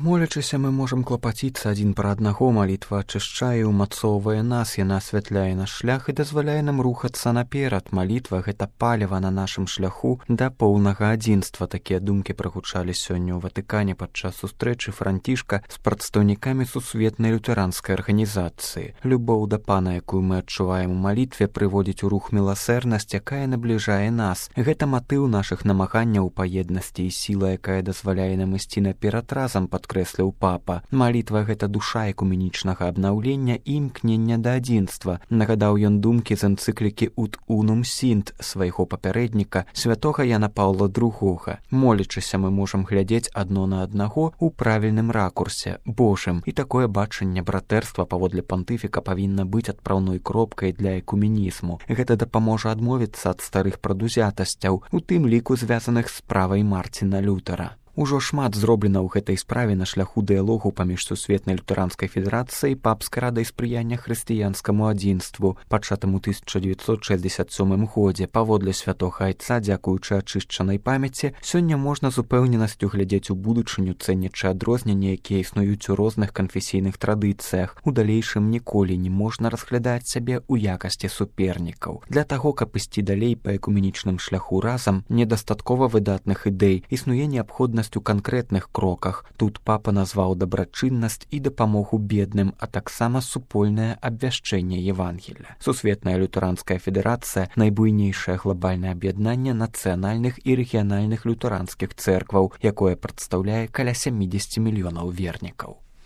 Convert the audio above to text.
Молячыся, мы можам клапаціцца адзін пра аднаго, малітва ачышчае, умацоўвае нас, яна асвятляе наш шлях і дазваляе нам рухацца наперад. Малітва — гэта паліва на нашым шляху да поўнага адзінства. Такія думкі прагучалі сёння ў Ватыкане падчас сустрэчы Францішка з прадстаўнікамі сусветнай лютэранскай арганізацыі. Любоў да Пана, якую мы адчуваем у малітве, прыводзіць у рух міласэрнасць, якая набліжае нас. Гэта матыў нашых намаганняў па еднасці і сіла, якая дазваляе нам ісці наперад разам, падкрэсліў папа. Малітва — гэта душа экуменічнага абнаўлення і імкнення да адзінства. Нагадаў ён думкі з энцыклікі «Ut unum sint» свайго папярэдніка, святога Яна Паўла II. Молячыся, мы можам глядзець адно на аднаго ў правільным ракурсе, Божым. І такое бачанне братэрства паводле пантыфіка павінна быць адпраўной кропкай для экуменізму. Гэта дапаможа адмовіцца ад старых прадузятасцяў, у тым ліку звязаных з справай Марціна Лютера. Ужо шмат зроблена ў гэтай справе на шляху дыялогу паміж сусветнай лютэранскай федэрацыяй і папскай радай спрыяння хрысціянскаму адзінству, пачатым у 1967 годзе. Паводле святога айца, дзякуючы ачышчанай памяці, сёння можна з упэўненасцю глядзець у будучыню, цэняючы адрозненні, якія існуюць у розных канфесійных традыцыях. У далейшым ніколі не можна разглядаць сябе ў якасці супернікаў. Для таго, каб ісці далей па экуменічным шляху разам, недастаткова выдатных ідэй, існуе неабходнасць у канкрэтных кроках. Тут папа назваў дабрачыннасць і дапамогу бедным, а таксама супольнае абвяшчэнне Евангелля. Сусветная лютэранская федэрацыя — найбуйнейшае глобальнае аб'яднанне нацыянальных і рэгіянальных лютэранскіх цэркваў, якое прадстаўляе каля 70 мільёнаў вернікаў.